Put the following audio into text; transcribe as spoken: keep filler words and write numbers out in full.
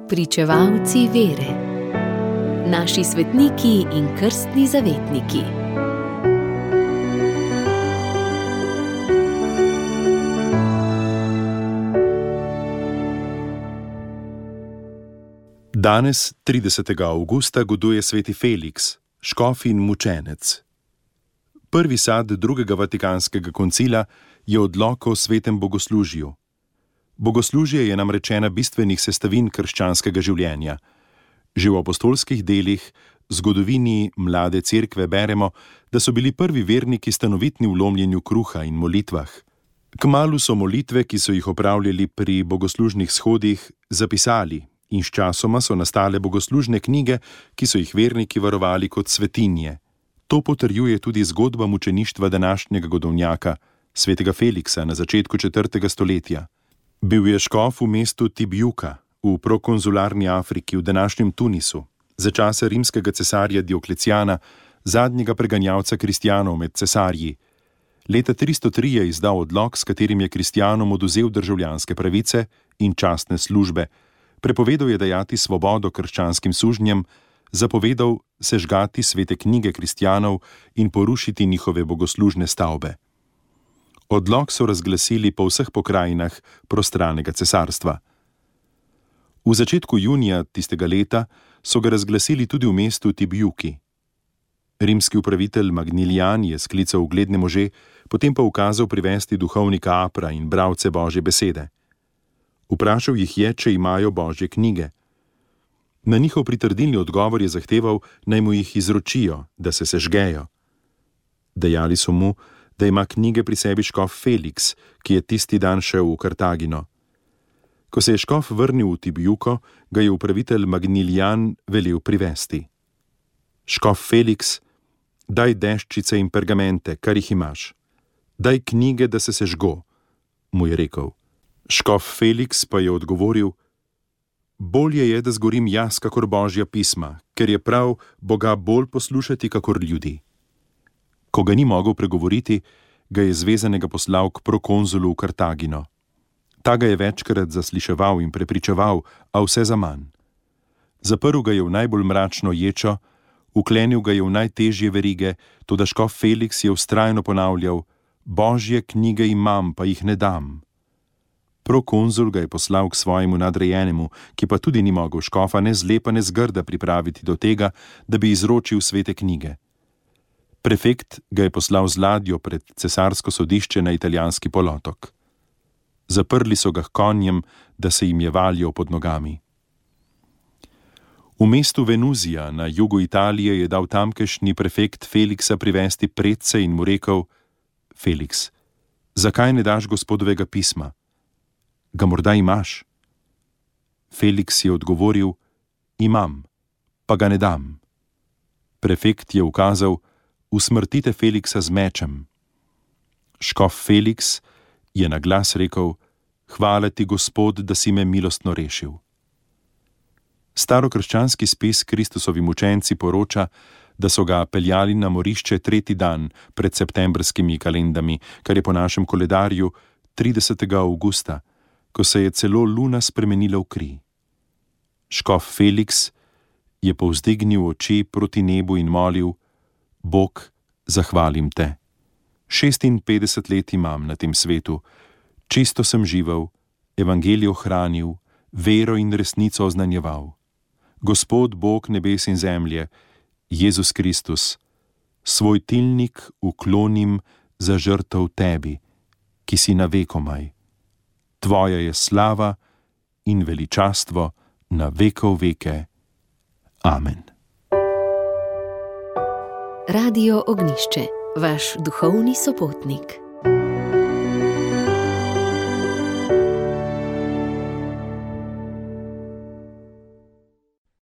Pričevalci vere. Naši svetniki in krstni zavetniki. Danes, tridesetega avgusta, goduje sveti Feliks, škof in mučenec. Prvi sad drugega vatikanskega koncila je odlok o svetem bogoslužju. Bogoslužje je namreč ena bistvenih sestavin krščanskega življenja. Že v apostolskih delih, zgodovini mlade cerkve beremo, da so bili prvi verniki stanovitni v lomljenju kruha in molitvah. Kmalu so molitve, ki so jih opravljali pri bogoslužnih shodih, zapisali in sčasoma so nastale bogoslužne knjige, ki so jih verniki varovali kot svetinje. To potrjuje tudi zgodba mučeništva današnjega godovnjaka, svetega Feliksa na začetku četrtega stoletja. Bil je škof v mestu Tibjuka, v prokonzularni Afriki, v današnjem Tunisu, za časa rimskega cesarja Diokleciana, zadnjega preganjalca kristjanov med cesarji. Leta tristo tri je izdal odlok, s katerim je kristjanom oduzel državljanske pravice in častne službe, prepovedal je dajati svobodo krščanskim sužnjem, zapovedal sežgati svete knjige kristjanov in porušiti njihove bogoslužne stavbe. Odlok so razglasili po vseh pokrajinah prostranega cesarstva. V začetku junija tistega leta so ga razglasili tudi v mestu Tibjuki. Rimski upravitelj Magnilijan je sklical ugledne može, potem pa ukazal privesti duhovnika Apra in bralce Božje besede. Vprašal jih je, če imajo Božje knjige. Na njihov pritrdilni odgovor je zahteval, naj mu jih izročijo, da se sežgejo. Dejali so mu, da ima knjige pri sebi škof Feliks, ki je tisti dan šel v Kartagino. Ko se je škof vrnil v Tibjuko, ga je upravitelj Magnilijan velel privesti. Škof Feliks, daj deščice in pergamente, kar jih imaš. Daj knjige, da se sežgo, mu je rekel. Škof Feliks pa je odgovoril, bolje je, da zgorim jaz, kakor Božja pisma, ker je prav Boga bolj poslušati, kakor ljudi. Ko ga ni mogel pregovoriti, ga je zvezanega poslal k prokonzulu v Kartagino. Ta ga je večkrat zasliševal in prepričeval, a vse zaman. Zaprl ga je v najbolj mračno ječo, uklenil ga je v najtežje verige, toda škof Feliks je vztrajno ponavljal, Božje knjige imam, pa jih ne dam. Prokonzul ga je poslal k svojemu nadrejenemu, ki pa tudi ni mogel škofa ne zlepa ne zgrda pripraviti do tega, da bi izročil svete knjige. Prefekt ga je poslal z ladjo pred cesarsko sodišče na italijanski polotok. Zaprli so ga h konjem, da se jim je valjal pod nogami. V mestu Venuzija na jugu Italije je dal tamkajšnji prefekt Feliksa privesti predse in mu rekel, Feliks, zakaj ne daš gospodovega pisma? Ga morda imaš? Feliks je odgovoril, imam, pa ga ne dam. Prefekt je ukazal, usmrtite Feliksa z mečem. Škof Feliks je na glas rekel, hvala ti, Gospod, da si me milostno rešil. Starokrščanski spis Kristusovi mučenci poroča, da so ga peljali na morišče tretji dan pred septembrskimi kalendami, kar je po našem koledarju tridesetega avgusta, ko se je celo luna spremenila v kri. Škof Feliks je povzdignil oči proti nebu in molil, Bog, zahvalim te. Šestinpetdeset let imam na tem svetu, čisto sem živel, evangelijo hranil, vero in resnico oznanjeval. Gospod Bog nebes in zemlje, Jezus Kristus, svoj tilnik uklonim za žrtev tebi, ki si na vekomaj. Tvoja je slava in veličastvo na vekov veke. Amen. Radio Ognjišče, vaš duhovni sopotnik.